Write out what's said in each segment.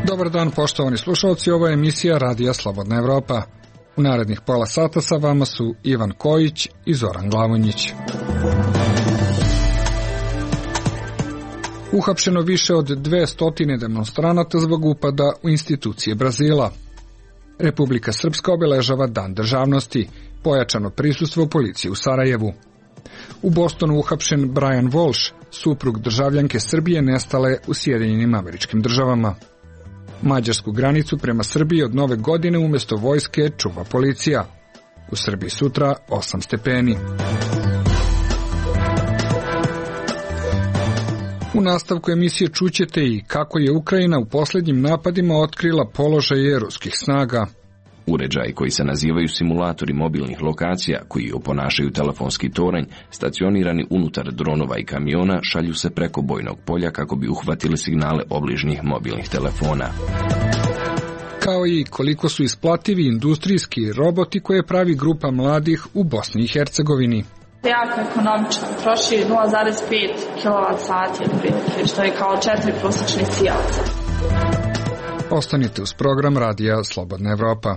Dobar dan, poštovani slušalci, ovo je emisija Radija Slobodna Evropa. U narednih pola sata sa vama su Ivan Kojić i Zoran Glavonjić. Uhapšeno više od 200 demonstranata zbog upada u institucije Brazila. Republika Srpska obeležava Dan državnosti, pojačano prisustvo policije u Sarajevu. U Bostonu uhapšen Brian Walsh, suprug državljanke Srbije nestale u Sjedinjenim Američkim Državama. Mađarsku granicu prema Srbiji od Nove godine umjesto vojske čuva policija. U Srbiji sutra 8 stepeni. U nastavku emisije čućete i kako je Ukrajina u posljednjim napadima otkrila položaje ruskih snaga. Uređaji koji se nazivaju simulatori mobilnih lokacija, koji oponašaju telefonski toranj, stacionirani unutar dronova i kamiona, šalju se preko bojnog polja kako bi uhvatili signale obližnjih mobilnih telefona. Kao i koliko su isplativi industrijski roboti koje pravi grupa mladih u Bosni i Hercegovini. Jako ekonomičan, troši 0,5 kWh, što je kao 4 prosječnih sijaca. Ostanite uz program Radija Slobodna Evropa.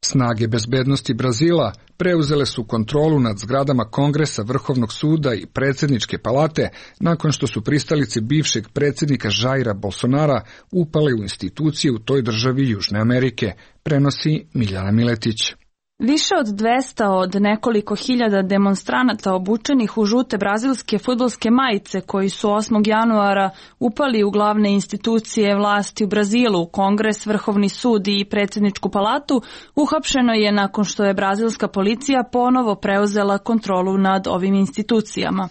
Snage bezbednosti Brazila preuzele su kontrolu nad zgradama Kongresa, Vrhovnog suda i predsjedničke palate nakon što su pristalice bivšeg predsjednika Jaira Bolsonara upale u institucije u toj državi Južne Amerike, prenosi Miljana Miletić. Više od 200 od nekoliko hiljada demonstranata obučenih u žute brazilske fudbalske majice koji su 8. januara upali u glavne institucije vlasti u Brazilu, Kongres, Vrhovni sud i predsjedničku palatu, uhapšeno je nakon što je brazilska policija ponovo preuzela kontrolu nad ovim institucijama.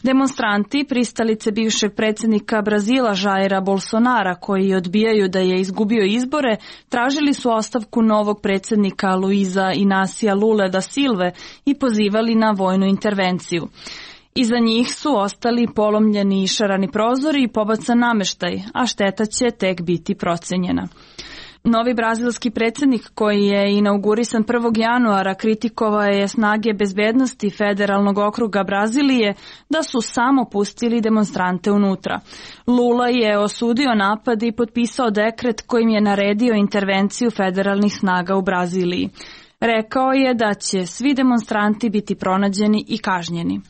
Demonstranti, pristalice bivšeg predsjednika Brazila Jaira Bolsonara, koji odbijaju da je izgubio izbore, tražili su ostavku novog predsjednika Luiza Inácia Lule da Silve i pozivali na vojnu intervenciju. Iza njih su ostali polomljeni i šarani prozori i pobacan nameštaj, a šteta će tek biti procenjena. Novi brazilski predsjednik koji je inaugurisan 1. januara kritikovao je snage bezbednosti federalnog okruga Brazilije da su samo pustili demonstrante unutra. Lula je osudio napad i potpisao dekret kojim je naredio intervenciju federalnih snaga u Braziliji. Rekao je da će svi demonstranti biti pronađeni i kažnjeni.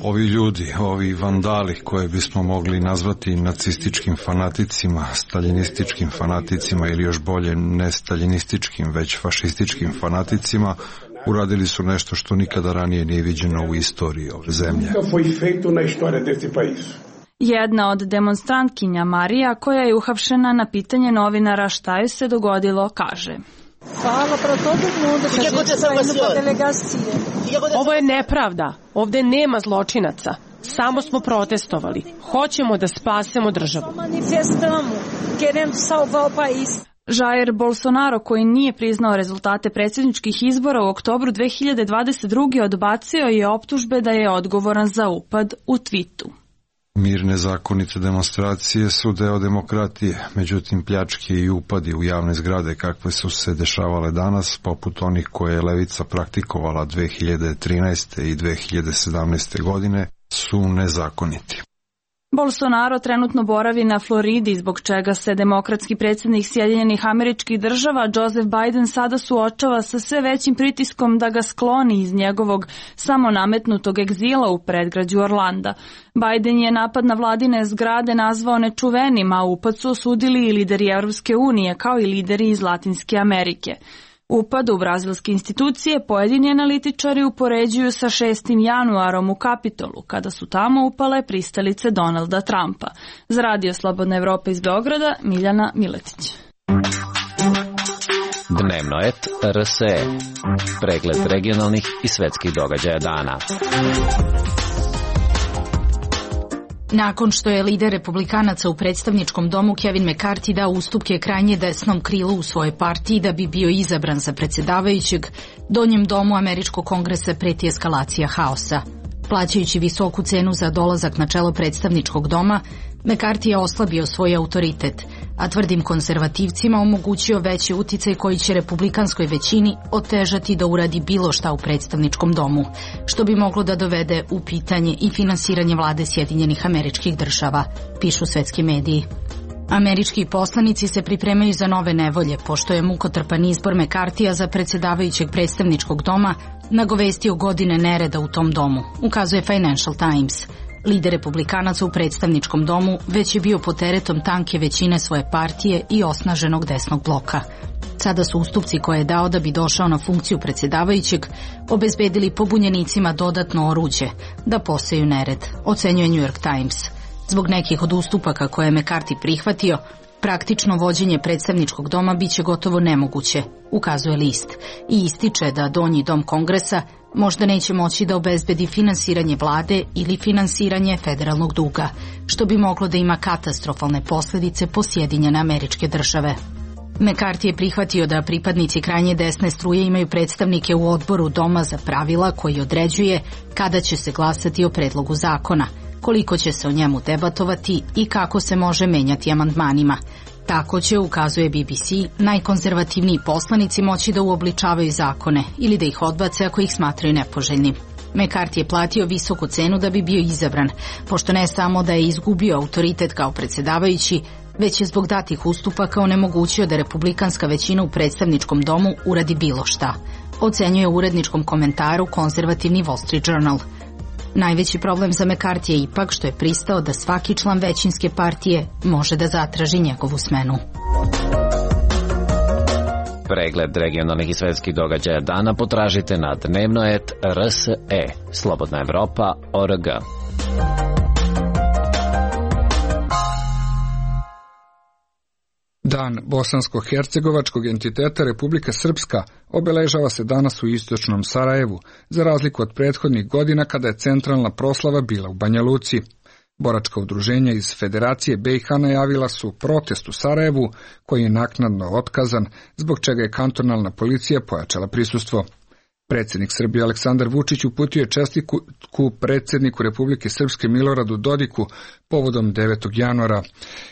Ovi ljudi, ovi vandali koje bismo mogli nazvati nacističkim fanaticima, staljinističkim fanaticima ili još bolje ne staljinističkim već fašističkim fanaticima, uradili su nešto što nikada ranije nije viđeno u istoriji ove zemlje. Jedna od demonstrantkinja Marija, koja je uhapšena na pitanje novinara šta joj se dogodilo, kaže: Ovo je nepravda. Ovdje nema zločinaca. Samo smo protestovali. Hoćemo da spasemo državu. Jair Bolsonaro, koji nije priznao rezultate predsjedničkih izbora u oktobru 2022. odbacio je optužbe da je odgovoran za upad u tvitu. Mirne zakonite demonstracije su deo demokratije, međutim pljačke i upadi u javne zgrade kakve su se dešavale danas, poput onih koje je levica praktikovala 2013. i 2017. godine, su nezakoniti. Bolsonaro trenutno boravi na Floridi, zbog čega se demokratski predsjednik Sjedinjenih Američkih Država Joseph Biden sada suočava sa sve većim pritiskom da ga skloni iz njegovog samonametnutog egzila u predgrađu Orlanda. Biden je napad na vladine zgrade nazvao nečuvenim, a upad su osudili i lideri Europske unije kao i lideri iz Latinske Amerike. Upad u brazilske institucije pojedini analitičari upoređuju sa 6. januarom u Kapitolu, kada su tamo upale pristalice Donalda Trumpa. Za Radio Slobodna Evropa iz Beograda, Miljana Miletić. Dnevno et RSE. Pregled regionalnih i svetskih događaja dana. Nakon što je lider republikanaca u predstavničkom domu Kevin McCarthy dao ustupke krajnje desnom krilu u svojoj partiji da bi bio izabran za predsjedavajućeg, donjem domu američkog kongresa preti eskalacija haosa. Plaćajući visoku cenu za dolazak na čelo predstavničkog doma, McCarthy je oslabio svoj autoritet, a tvrdim konzervativcima omogućio veći uticaj koji će republikanskoj većini otežati da uradi bilo šta u predstavničkom domu, što bi moglo da dovede u pitanje i finansiranje vlade Sjedinjenih Američkih Država, pišu svetski mediji. Američki poslanici se pripremaju za nove nevolje, pošto je mukotrpan izbor McCarthyja za predsjedavajućeg predstavničkog doma nagovestio godine nereda u tom domu, ukazuje Financial Times. Lider republikanaca u predstavničkom domu već je bio pod teretom tanke većine svoje partije i osnaženog desnog bloka. Sada su ustupci koje je dao da bi došao na funkciju predsjedavajućeg obezbedili pobunjenicima dodatno oruđe da poseju nered, ocenjuje New York Times. Zbog nekih od ustupaka koje je McCarthy prihvatio, praktično vođenje predstavničkog doma biće gotovo nemoguće, ukazuje list, i ističe da donji dom Kongresa možda neće moći da obezbedi finansiranje vlade ili finansiranje federalnog duga, što bi moglo da ima katastrofalne posljedice po Sjedinjene Američke Države. McCarthy je prihvatio da pripadnici krajnje desne struje imaju predstavnike u odboru Doma za pravila koji određuje kada će se glasati o predlogu zakona, koliko će se o njemu debatovati i kako se može menjati amandmanima. Tako će, ukazuje BBC, najkonzervativniji poslanici moći da uobličavaju zakone ili da ih odbace ako ih smatraju nepoželjnim. McCarthy je platio visoku cenu da bi bio izabran, pošto ne samo da je izgubio autoritet kao predsjedavajući, već je zbog datih ustupaka onemogućio da republikanska većina u predstavničkom domu uradi bilo šta, ocenjuje u uredničkom komentaru konzervativni Wall Street Journal. Najveći problem za McCarthy je ipak što je pristao da svaki član većinske partije može da zatraži njegovu smenu. Pregled regionalnih i svetskih događaja dana potražite na dnevno.rse, Slobodna Evropa.org. Dan bosansko-hercegovačkog entiteta Republika Srpska obeležava se danas u istočnom Sarajevu, za razliku od prethodnih godina kada je centralna proslava bila u Banja Luci. Boračka udruženja iz Federacije BiH najavila su protest u Sarajevu, koji je naknadno otkazan, zbog čega je kantonalna policija pojačala prisustvo. Predsjednik Srbije Aleksandar Vučić uputio je čestitku predsjedniku Republike Srpske Miloradu Dodiku povodom 9. januara,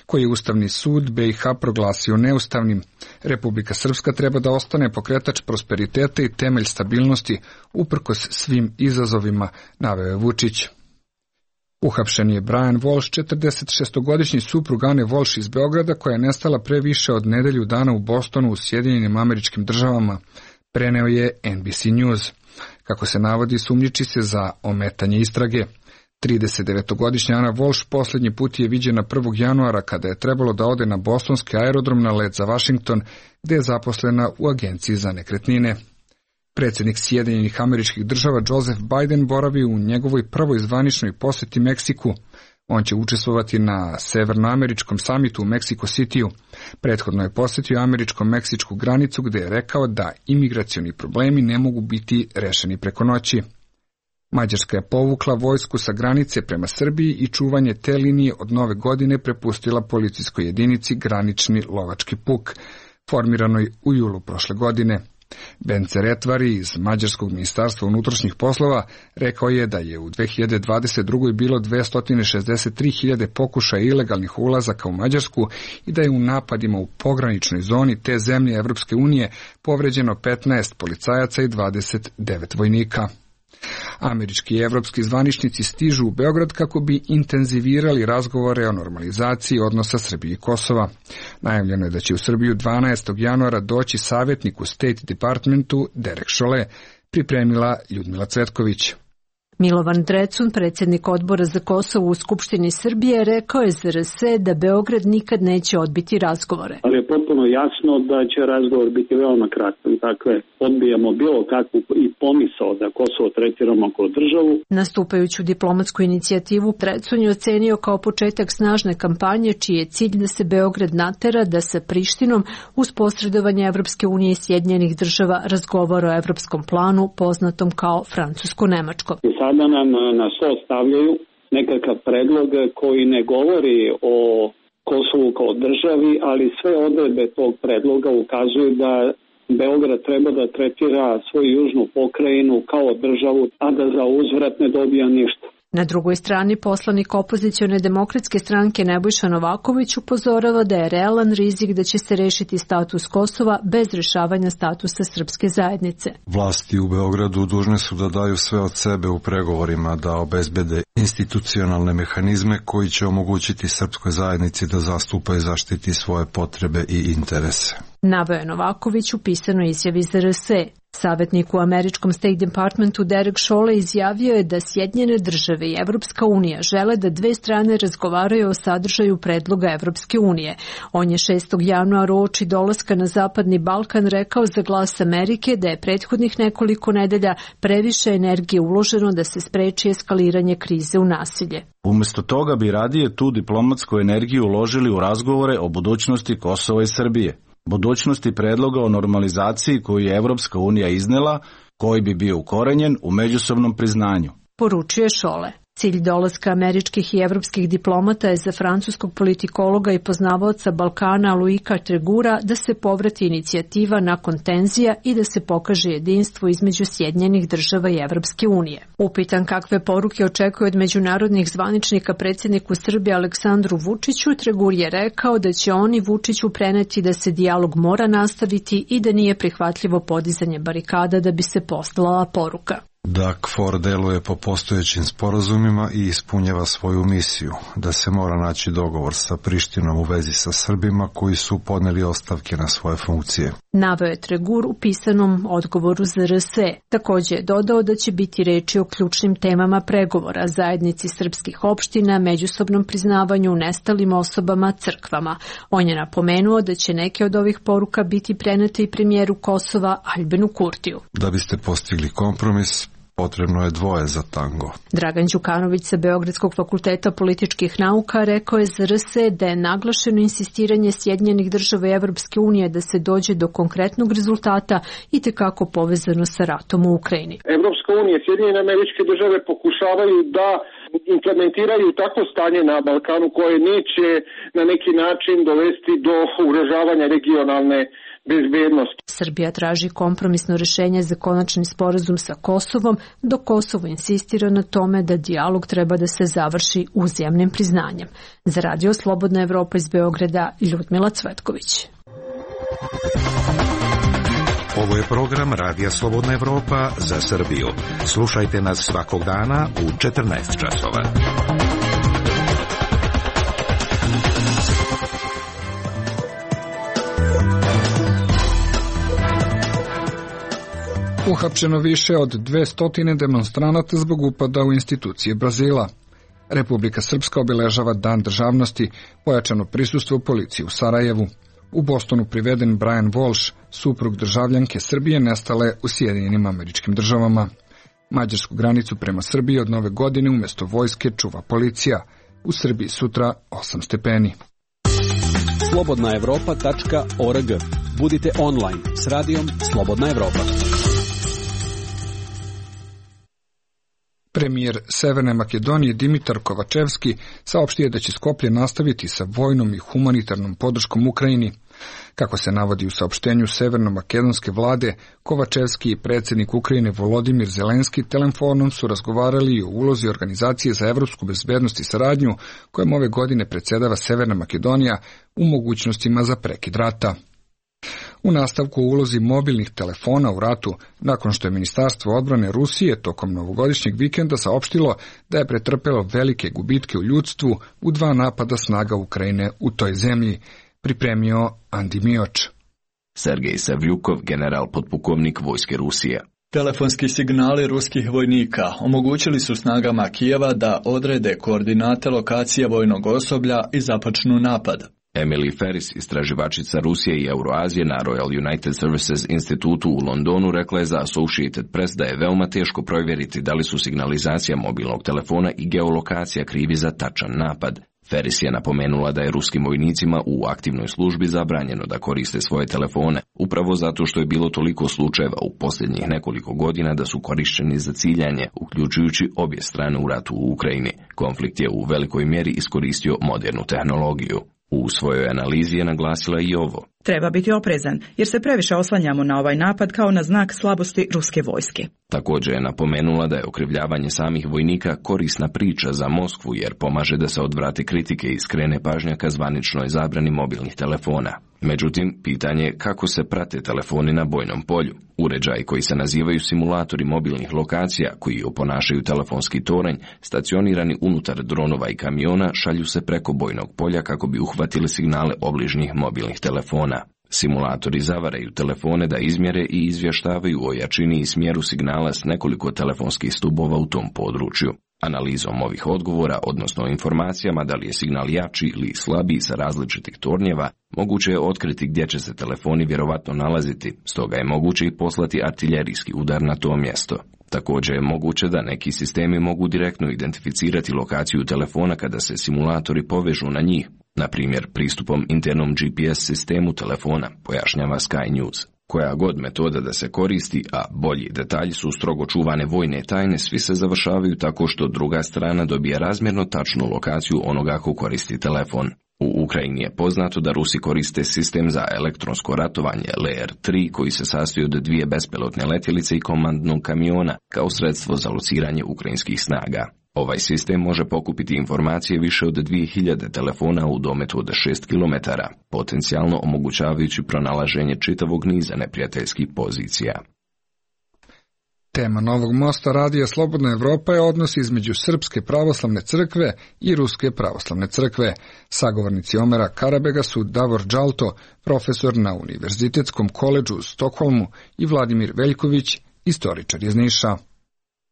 koji je Ustavni sud BiH proglasio neustavnim. Republika Srpska treba da ostane pokretač prosperiteta i temelj stabilnosti uprkos svim izazovima, naveo je Vučić. Uhapšen je Brian Walsh, 46-godišnji suprug Ane Walsh iz Beograda, koja je nestala pre više od nedelju dana u Bostonu u Sjedinjenim Američkim Državama, preneo je NBC News. Kako se navodi, sumnjiči se za ometanje istrage. 39-godišnja Ana Walsh posljednji put je viđena 1. januara kada je trebalo da ode na bostonski aerodrom na let za Washington, gde je zaposlena u agenciji za nekretnine. Predsjednik Sjedinjenih Američkih Država Joseph Biden boravi u njegovoj prvoj zvaničnoj posjeti Meksiku. On će učestvovati na severnoameričkom samitu u Mexico Cityu. Prethodno je posjetio američko-meksičku granicu gdje je rekao da imigracioni problemi ne mogu biti rešeni preko noći. Mađarska je povukla vojsku sa granice prema Srbiji i čuvanje te linije od nove godine prepustila policijskoj jedinici Granični lovački puk, formiranoj u julu prošle godine. Bence Retvari iz Mađarskog ministarstva unutrašnjih poslova rekao je da je u 2022. bilo 263.000 pokušaja ilegalnih ulazaka u Mađarsku i da je u napadima u pograničnoj zoni te zemlje Evropske unije povređeno 15 policajaca i 29 vojnika. Američki i evropski zvaničnici stižu u Beograd kako bi intenzivirali razgovore o normalizaciji odnosa Srbije i Kosova. Najavljeno je da će u Srbiju 12. januara doći savjetnik u State Departmentu Derek Chollet, pripremila Ljudmila Cvetković. Milovan Drecun, predsjednik odbora za Kosovo u Skupštini Srbije, rekao je za RSE da Beograd nikad neće odbiti razgovore. Ali je potpuno jasno da će razgovor biti veoma kratak. Dakle, odbijamo bilo kakvu i pomisao da Kosovo tretiramo kao državu. Nastupajuću diplomatsku inicijativu Drecun je ocenio kao početak snažne kampanje čiji je cilj da se Beograd natera da sa Prištinom uz posredovanje Evropske unije i Sjedinjenih Država razgovara o evropskom planu poznatom kao francusko-nemačko. Sada nam na sto stavljaju nekakav predlog koji ne govori o Kosovu kao državi, ali sve odredbe tog predloga ukazuju da Beograd treba da tretira svoju južnu pokrajinu kao državu, a da za uzvrat ne dobija ništa. Na drugoj strani poslanik opozicione demokratske stranke Nebojša Novaković upozorava da je realan rizik da će se rešiti status Kosova bez rešavanja statusa srpske zajednice. Vlasti u Beogradu dužne su da daju sve od sebe u pregovorima, da obezbede institucionalne mehanizme koji će omogućiti srpskoj zajednici da zastupa i zaštiti svoje potrebe i interese. Naveo je Novaković u pisanoj izjavi za RS. Savjetnik u američkom State Departmentu Derek Chollet izjavio je da Sjedinjene države i Evropska unija žele da dve strane razgovaraju o sadržaju predloga Evropske unije. On je 6. januara uoči dolaska na Zapadni Balkan rekao za Glas Amerike da je prethodnih nekoliko nedelja previše energije uloženo da se spreči eskaliranje krize u nasilje. Umesto toga bi radije tu diplomatsku energiju uložili u razgovore o budućnosti Kosova i Srbije. Budućnosti predloga o normalizaciji koju je Evropska unija iznela, koji bi bio ukorenjen u međusobnom priznanju. Poručuje Chollet. Cilj dolaska američkih i evropskih diplomata je za francuskog politikologa i poznavaoca Balkana Luika Tregura da se povrati inicijativa nakon tenzija i da se pokaže jedinstvo između Sjedinjenih država i Evropske unije. Upitan kakve poruke očekuje od međunarodnih zvaničnika predsjedniku Srbije Aleksandru Vučiću, Tregur je rekao da će oni Vučiću preneti da se dijalog mora nastaviti i da nije prihvatljivo podizanje barikada da bi se poslala poruka. Da KFOR deluje po postojećim sporazumima i ispunjava svoju misiju, da se mora naći dogovor sa Prištinom u vezi sa Srbima koji su podneli ostavke na svoje funkcije. Naveo je Tregur u pisanom odgovoru za RS. Također je dodao da će biti reči o ključnim temama pregovora, zajednici srpskih opština, međusobnom priznavanju, nestalim osobama, crkvama. On je napomenuo da će neke od ovih poruka biti prenete i premijeru Kosova Aljbinu Kurtiju. Da biste postigli kompromis, potrebno je dvoje za tango. Dragan Đukanović sa Beogradskog fakulteta političkih nauka rekao je za RS da je naglašeno insistiranje Sjedinjenih država i Evropske unije da se dođe do konkretnog rezultata i tekako povezano sa ratom u Ukrajini. Evropska unija i Sjedinjene američke države pokušavaju da implementiraju takvo stanje na Balkanu koje neće na neki način dovesti do ugrožavanja regionalne bezbednosti. Srbija traži kompromisno rešenje za konačni sporazum sa Kosovom, dok Kosovo insistira na tome da dijalog treba da se završi uzajamnim priznanjem. Za Radio Slobodna Evropa iz Beograda, Ljudmila Cvetković. Ovo je program Radija Slobodna Evropa za Srbiju. Slušajte nas svakog dana u 14 časova. Uhapšeno više od 200 demonstranata zbog upada u institucije Brazila. Republika Srpska obeležava Dan državnosti, pojačano prisustvo policije u Sarajevu. U Bostonu priveden Brian Walsh, suprug državljanke Srbije nestale u Sjedinjenim Američkim Državama. Mađarsku granicu prema Srbiji od nove godine umjesto vojske čuva policija. U Srbiji sutra 8 stepeni. slobodnaevropa.org. Budite online s radijom Slobodna Evropa. Premijer Severne Makedonije Dimitar Kovačevski saopštio je da će Skoplje nastaviti sa vojnom i humanitarnom podrškom Ukrajini. Kako se navodi u saopštenju severno-makedonske vlade, Kovačevski i predsjednik Ukrajine Volodimir Zelenski telefonom su razgovarali o ulozi Organizacije za evropsku bezbednost i saradnju, kojom ove godine predsjedava Severna Makedonija, u mogućnostima za prekid rata. U nastavku o ulozi mobilnih telefona u ratu, nakon što je Ministarstvo odbrane Rusije tokom novogodišnjeg vikenda saopštilo da je pretrpelo velike gubitke u ljudstvu u 2 napada snaga Ukrajine u toj zemlji, pripremio Andi Mioč. Sergej Savljukov, general potpukovnik vojske Rusije. Telefonski signali ruskih vojnika omogućili su snagama Kijeva da odrede koordinate lokacije vojnog osoblja i započnu napad. Emily Ferris, istraživačica Rusije i Euroazije na Royal United Services institutu u Londonu, rekla je za Associated Press da je veoma teško provjeriti da li su signalizacija mobilnog telefona i geolokacija krivi za tačan napad. Ferris je napomenula da je ruskim vojnicima u aktivnoj službi zabranjeno da koriste svoje telefone, upravo zato što je bilo toliko slučajeva u posljednjih nekoliko godina da su korišćeni za ciljanje, uključujući obje strane u ratu u Ukrajini. Konflikt je u velikoj mjeri iskoristio modernu tehnologiju. U svojoj analizi je naglasila i ovo. Treba biti oprezan, jer se previše oslanjamo na ovaj napad kao na znak slabosti ruske vojske. Također je napomenula da je okrivljavanje samih vojnika korisna priča za Moskvu, jer pomaže da se odvrate kritike i skrene pažnja ka zvaničnoj zabrani mobilnih telefona. Međutim, pitanje je kako se prate telefoni na bojnom polju. Uređaji koji se nazivaju simulatori mobilnih lokacija, koji oponašaju telefonski toranj, stacionirani unutar dronova i kamiona, šalju se preko bojnog polja kako bi uhvatili signale obližnjih mobilnih telefona. Simulatori zavaraju telefone da izmjere i izvještavaju o jačini i smjeru signala s nekoliko telefonskih stubova u tom području. Analizom ovih odgovora, odnosno informacijama da li je signal jači ili slabiji sa različitih tornjeva, moguće je otkriti gdje će se telefoni vjerovatno nalaziti, stoga je moguće i poslati artiljerijski udar na to mjesto. Također je moguće da neki sistemi mogu direktno identificirati lokaciju telefona kada se simulatori povežu na njih, na primjer pristupom internom GPS sistemu telefona, pojašnjava Sky News. Koja god metoda da se koristi, a bolji detalji su strogo čuvane vojne tajne, svi se završavaju tako što druga strana dobije razmjerno tačnu lokaciju onoga ko koristi telefon. U Ukrajini je poznato da Rusi koriste sistem za elektronsko ratovanje Lear 3 koji se sastoji od 2 bespilotne letjelice i komandnog kamiona kao sredstvo za lociranje ukrajinskih snaga. Ovaj sistem može pokupiti informacije više od 2000 telefona u dometu od 6 km, potencijalno omogućavajući pronalaženje čitavog niza neprijateljskih pozicija. Tema Novog mosta Radija Slobodna Evropa je odnos između Srpske pravoslavne crkve i Ruske pravoslavne crkve. Sagovornici Omera Karabega su Davor Đalto, profesor na Univerzitetskom koledžu u Stokholmu, i Vladimir Veljković, istoričar iz Niša.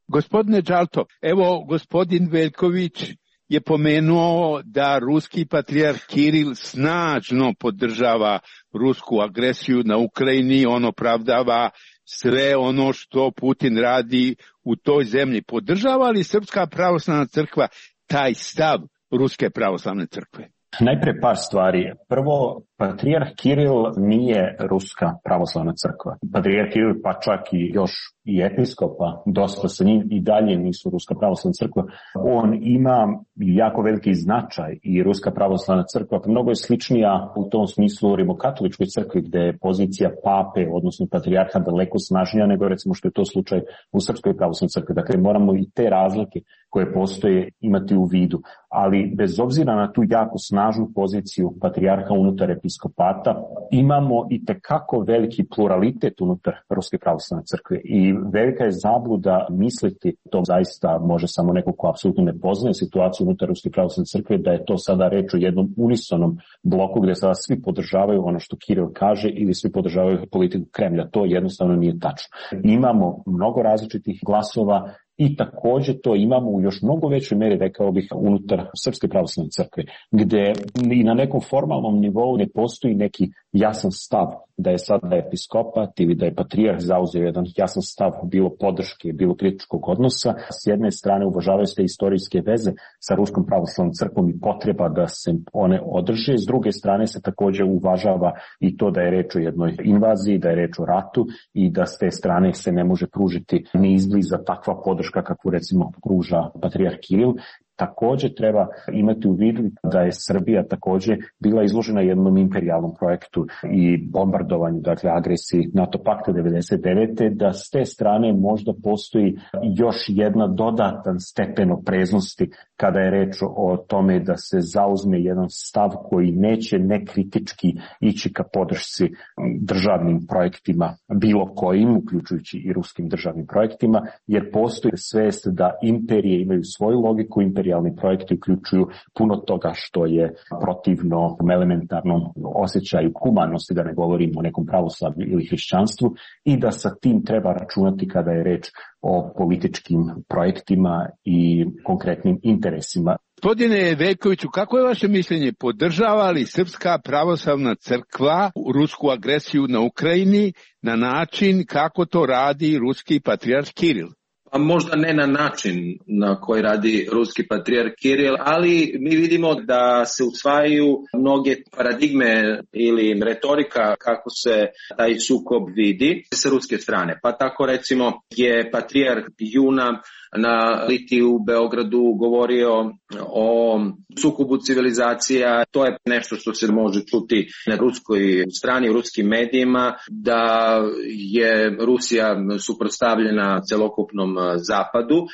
Gospodine Đalto, evo gospodin Veljković je pomenuo da ruski patrijarh Kiril snažno podržava rusku agresiju na Ukrajini, on opravdava sve ono što Putin radi u toj zemlji. Podržava li Srpska pravoslavna crkva taj stav Ruske pravoslavne crkve? Najprije par stvari. Prvo, patrijarh Kiril nije Ruska pravoslavna crkva. Patrijarh Kiril, pa čak i još i episkopa, dosta sa njim i dalje nisu Ruska pravoslavna crkva. On ima jako veliki značaj i Ruska pravoslavna crkva mnogo je sličnija u tom smislu rimokatoličkoj crkvi, gde je pozicija pape, odnosno patrijarha, daleko snažnija nego recimo što je to slučaj u Srpskoj pravoslavnoj crkvi. Dakle, moramo i te razlike koje postoje imati u vidu. Ali bez obzira na tu jako snažnu poziciju patrijarha unutar episkopata, imamo i tekako veliki pluralitet unutar Ruske pravoslavne crkve i velika je zabluda misliti, to zaista može samo neko ko apsolutno ne poznaje situaciju unutar Ruske pravoslavne crkve, da je to sada reč o jednom unisonom bloku gdje sada svi podržavaju ono što Kiril kaže ili svi podržavaju politiku Kremlja. To jednostavno nije tačno. Imamo mnogo različitih glasova i također to imamo u još mnogo većoj mjeri, rekao bih, unutar Srpske pravoslavne crkve, gdje i na nekom formalnom nivou ne postoji neki jasan stav da je sada episkopat ili da je patrijarh zauzeo jedan jasan stav bilo podrške, bilo kritičkog odnosa. S jedne strane uvažavaju se istorijske veze sa Ruskom pravoslavnom crkvom i potreba da se one održe, s druge strane se također uvažava i to da je reč o jednoj invaziji, da je reč o ratu i da s te strane se ne može pružiti ni izbliza takva podrška kakvu recimo pruža patrijarh Kiril. Također treba imati u vidu da je Srbija također bila izložena jednom imperijalnom projektu i bombardovanju, dakle agresiji NATO pakta 99. da s te strane možda postoji još jedna dodatan stepen opreznosti kada je reč o tome da se zauzme jedan stav koji neće nekritički ići ka podršci državnim projektima bilo kojim, uključujući i ruskim državnim projektima, jer postoji svest da imperije imaju svoju logiku, imperijalni projekti uključuju puno toga što je protivno elementarnom osjećaju humanosti, da ne govorimo o nekom pravoslavlju ili hrišćanstvu, i da sa tim treba računati kada je reč o političkim projektima i konkretnim interesima. Gospodine Veljkoviću, kako je vaše mišljenje? Podržava li Srpska pravoslavna crkva rusku agresiju na Ukrajini na način kako to radi ruski patrijarh Kiril? A možda ne na način na koji radi ruski patrijarh Kiril, ali mi vidimo da se usvajaju mnoge paradigme ili retorika kako se taj sukob vidi sa ruske strane. Pa tako recimo je patrijarh juna na Litiji u Beogradu govorio o sukobu civilizacija. To je nešto što se može čuti na ruskoj strani, u ruskim medijima, da je Rusija suprotstavljena celokupnom zapadu.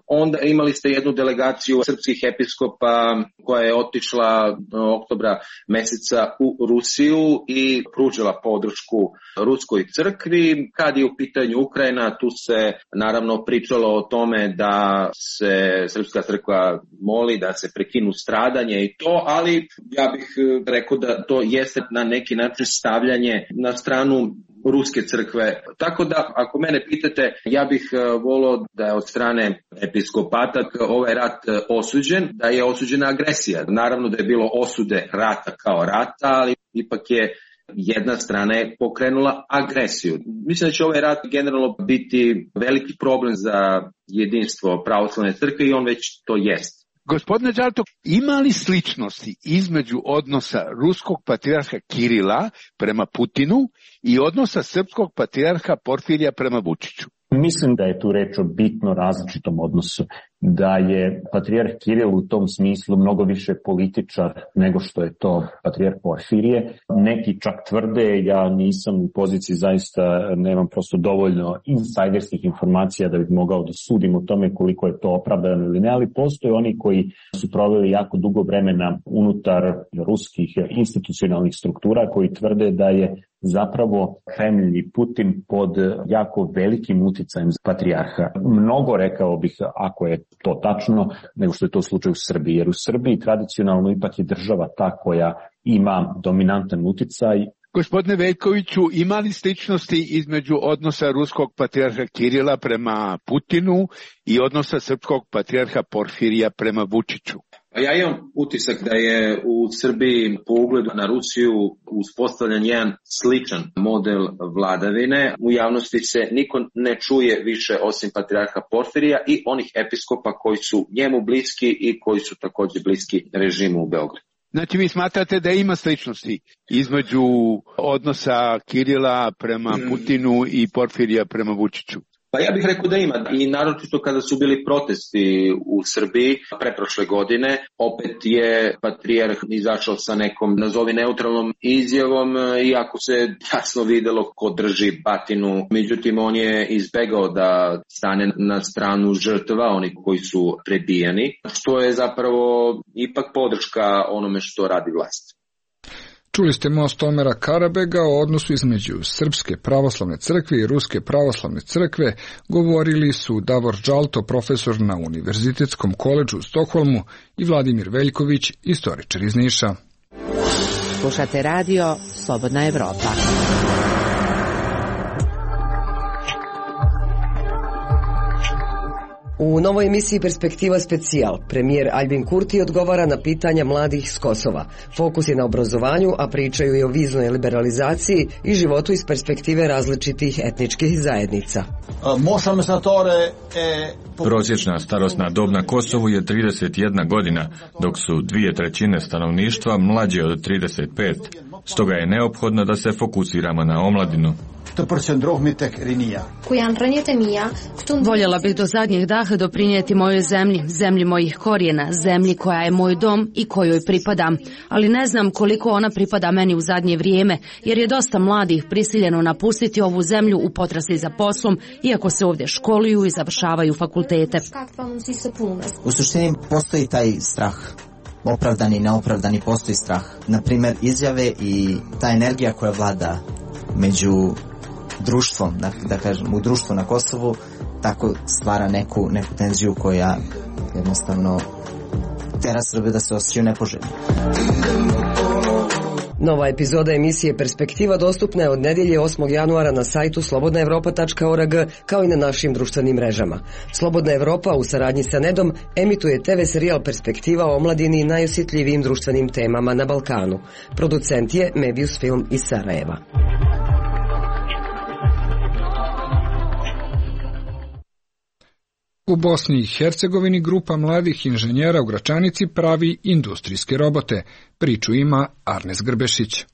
Onda imali ste jednu delegaciju srpskih episkopa koja je otišla oktobra meseca u Rusiju i pružila podršku ruskoj crkvi. Kad je u pitanju Ukrajina, tu se naravno pričalo o tome da se srpska crkva moli da se prekinu stradanje i to, ali ja bih rekao da to jeste na neki način stavljanje na stranu ruske crkve. Tako da, ako mene pitate, ja bih volio da je od strane episkopata ovaj rat osuđen, da je osuđena agresija. Naravno da je bilo osude rata kao rata, ali ipak je jedna strana je pokrenula agresiju. Mislim da će ovaj rat generalno biti veliki problem za jedinstvo pravoslavne crkve i on već to jest. Gospodine Đalto, ima li sličnosti između odnosa ruskog patrijarha Kirila prema Putinu i odnosa srpskog patrijarha Porfirija prema Vučiću? Mislim da je tu reč o bitno različitom odnosu, da je patrijarh Kiril u tom smislu mnogo više političar nego što je to patrijarh Porfirije. Neki čak tvrde, ja nisam u poziciji, zaista nemam prosto dovoljno insajderskih informacija da bih mogao da sudim o tome koliko je to opravdano ili ne, ali postoje oni koji su proveli jako dugo vremena unutar ruskih institucionalnih struktura koji tvrde da je zapravo Kremlj i Putin pod jako velikim uticajem patrijarha. Mnogo, rekao bih, ako je to tačno, nego što je to slučaj u Srbiji. Jer u Srbiji tradicionalno ipak je država ta koja ima dominantan uticaj. Gospodine Veljkoviću, ima li sličnosti između odnosa ruskog patrijarha Kirila prema Putinu i odnosa srpskog patrijarha Porfirija prema Vučiću? Ja imam utisak da je u Srbiji po ugledu na Rusiju uspostavljen jedan sličan model vladavine. U javnosti se niko ne čuje više osim patrijarha Porfirija i onih episkopa koji su njemu bliski i koji su također bliski režimu u Beogradu. Znači vi smatrate da ima sličnosti između odnosa Kirila prema Putinu i Porfirija prema Vučiću? Pa ja bih rekao da ima, i naročito kada su bili protesti u Srbiji preprošle godine, opet je patrijarh izašao sa nekom, nazovi neutralnom izjavom, iako se jasno videlo ko drži batinu, međutim on je izbegao da stane na stranu žrtva, oni koji su prebijani, što je zapravo ipak podrška onome što radi vlast. Čuli ste most Omera Karabega o odnosu između Srpske pravoslavne crkve i Ruske pravoslavne crkve. Govorili su Davor Đalto, profesor na Univerzitetskom koledžu u Stokholmu, i Vladimir Veljković, istoričar iz Niša. Slušate radio Slobodna Evropa. U novoj emisiji Perspektiva specijal, premijer Albin Kurti odgovara na pitanja mladih s Kosova. Fokus je na obrazovanju, a pričaju i o viznoj liberalizaciji i životu iz perspektive različitih etničkih zajednica. Prosječna starosna dob na Kosovu je 31 godina, dok su 2/3 stanovništva mlađe od 35. Stoga je neophodno da se fokusiramo na omladinu. Voljela bih do zadnjeg daha doprinijeti mojoj zemlji, zemlji mojih korijena, zemlji koja je moj dom i kojoj pripadam, ali ne znam koliko ona pripada meni u zadnje vrijeme, jer je dosta mladih prisiljeno napustiti ovu zemlju u potrazi za poslom, iako se ovdje školuju i završavaju fakultete. U suštini postoji taj strah. Opravdani i neopravdani postoji strah. Naprimjer, izjave i ta energija koja vlada među društvom, da kažem, u društvu na Kosovu, tako stvara neku tenziju koja jednostavno tera Srbe da se osjećaju nepoželjni. Nova epizoda emisije Perspektiva dostupna je od nedjelje 8. januara na sajtu slobodnaevropa.org, kao i na našim društvenim mrežama. Slobodna Evropa u saradnji sa Nedom emituje TV serijal Perspektiva o omladini i najosjetljivijim društvenim temama na Balkanu. Producent je Mebius Film iz Sarajeva. U Bosni i Hercegovini grupa mladih inženjera u Gračanici pravi industrijske robote. Priču ima Arnes Grbešić.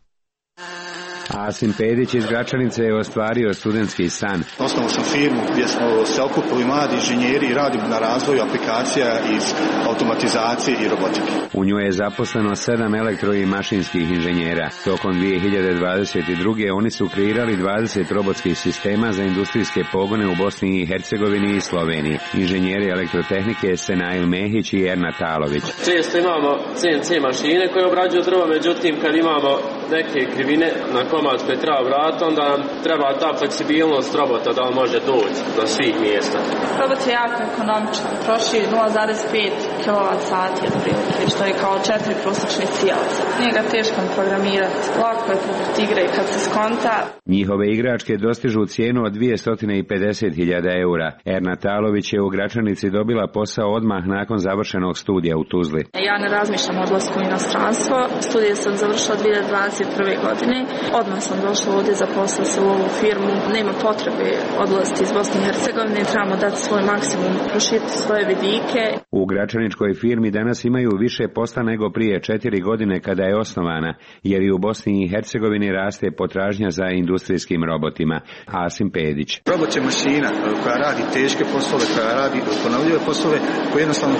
Asim Pedić iz Gračanice je ostvario studentski san. Osnovao sam firmu gdje smo se okupili mladi inženjeri i radimo na razvoju aplikacija iz automatizacije i robotike. U njoj je zaposleno 7 elektro i mašinskih inženjera. Tokom 2022. oni su kreirali 20 robotskih sistema za industrijske pogone u Bosni i Hercegovini i Sloveniji. Inženjeri elektrotehnike Senail Mehić i Erna Talović. Često imamo CNC mašine koje obrađuju drvo, međutim kad imamo neke krivine na komad koje treba vratiti, onda nam treba ta fleksibilnost robota da on može doći do svih mjesta. Robot je jako ekonomičan, troši 0,5 kWh otprilike, što je kao 4 prosječnih sijalaca. Nije ga teško programirati, lako je poput igre kad se skonta. Njihove igračke dostižu cijenu od 250.000 eura. Erna Talović je u Gračanici dobila posao odmah nakon završenog studija u Tuzli. Ja ne razmišljam o odlasku u inostranstvo. Studije sam završila 2021. godine. Odmah sam došla ovdje, zaposlila se u ovu firmu. Nema potrebe odlaziti iz Bosne i Hercegovine. Trebamo dati svoj maksimum, proširiti svoje vidike. U Gračaničkoj firmi danas imaju više posla nego prije 4 godine kada je osnovana, jer i u Bosni i Hercegovini raste potražnja za industrijskim robotima. Asim Pedić. Robot je mašina koja radi teške poslove, koja radi ponovljive poslove, koji jednostavno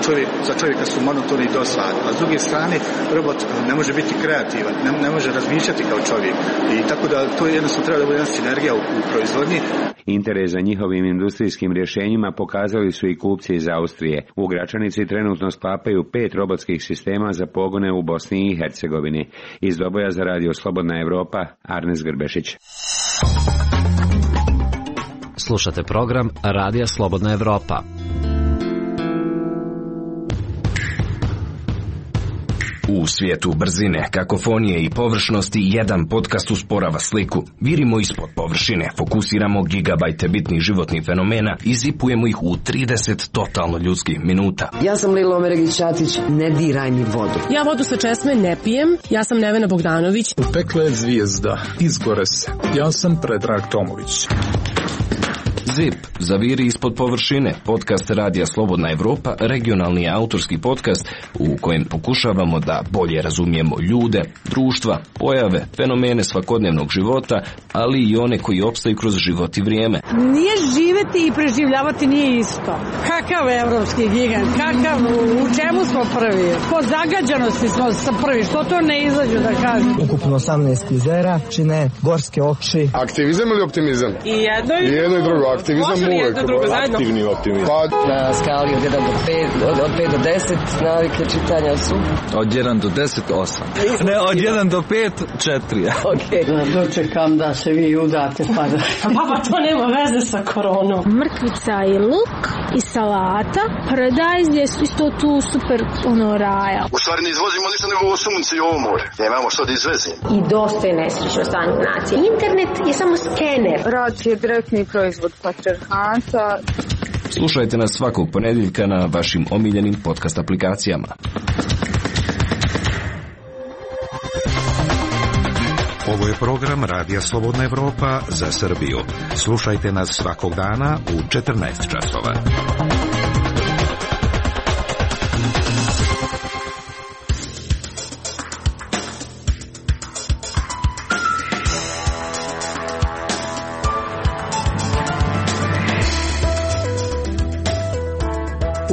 za čovjeka su monotoni i dosadni. A s druge strane, robot ne može biti kreativan, ne može razmišljati kao čovjek. I tako da to jednostavno treba da bude jedna sinergija u proizvodnji. Interes za njihovim industrijskim rješenjima pokazali su i kupci iz Austrije. U Gračanici trenutno sklapaju 5 robotskih sistema za pogone u Bosni i Hercegovini. Iz Doboja za Radio Slobodna Evropa, Arnes Grbešić. Slušate program Radija Slobodna Evropa. U svijetu brzine, kakofonije i površnosti jedan podcast usporava sliku. Virimo ispod površine, fokusiramo gigabajte bitnih životnih fenomena i zipujemo ih u 30 totalno ljudskih minuta. Ja sam Lilo Omeregić-Ćatić, ne diraj mi vodu. Ja vodu sa česme ne pijem, ja sam Nevena Bogdanović. Pekla je zvijezda, izgore se. Ja sam Predrag Tomović. ZIP, zaviri ispod površine, podcast Radija Slobodna Evropa, regionalni autorski podcast u kojem pokušavamo da bolje razumijemo ljude, društva, pojave, fenomene svakodnevnog života, ali i one koji opstaju kroz život i vrijeme. Nije živeti i preživljavati nije isto. Kakav evropski gigant, u čemu smo prvi? Po zagađenosti smo prvi, što to ne izađu da kažem? Ukupno 18 kvizera, čine gorske oči. Aktivizam ili optimizam? I jedno i drugo. Aktivizam uvek, aktivni optimizam. Na skali od 1 do 5, od 5 do 10 navike čitanja su? Od 1 do 10, 8. Ne, od 1 do 5, 4. Ok. Dočekam da se vi udate pa da... Baba, to nema veze sa koronom. Mrkvica i luk i salata, paradajz je isto tu super raja. U stvari ne izvozimo ništa nego ovo sunce i ovo more. Nemamo što da izvezimo. I dosta je nesrećno stanje nacije. Internet je samo skener. Rad je direktni proizvod patrijarhata. Slušajte nas svakog ponedjeljka na vašim omiljenim podcast aplikacijama. Ovo je program Radija Slobodna Evropa za Srbiju. Slušajte nas svakog dana u 14 časova.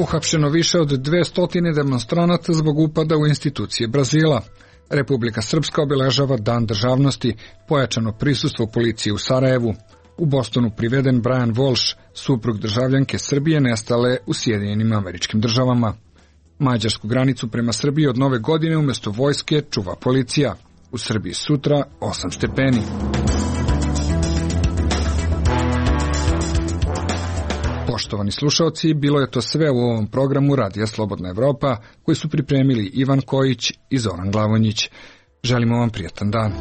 Uhapšeno više od 200 demonstranata zbog upada u institucije Brazila. Republika Srpska obeležava Dan državnosti, pojačano prisustvo policije u Sarajevu. U Bostonu priveden Brian Walsh, suprug državljanke Srbije nestale u Sjedinjenim Američkim Državama. Mađarsku granicu prema Srbiji od nove godine umjesto vojske čuva policija. U Srbiji sutra 8 stepeni. Poštovani slušalci, bilo je to sve u ovom programu Radija Slobodna Evropa, koji su pripremili Ivan Kojić i Zoran Glavonjić. Želimo vam prijatan dan.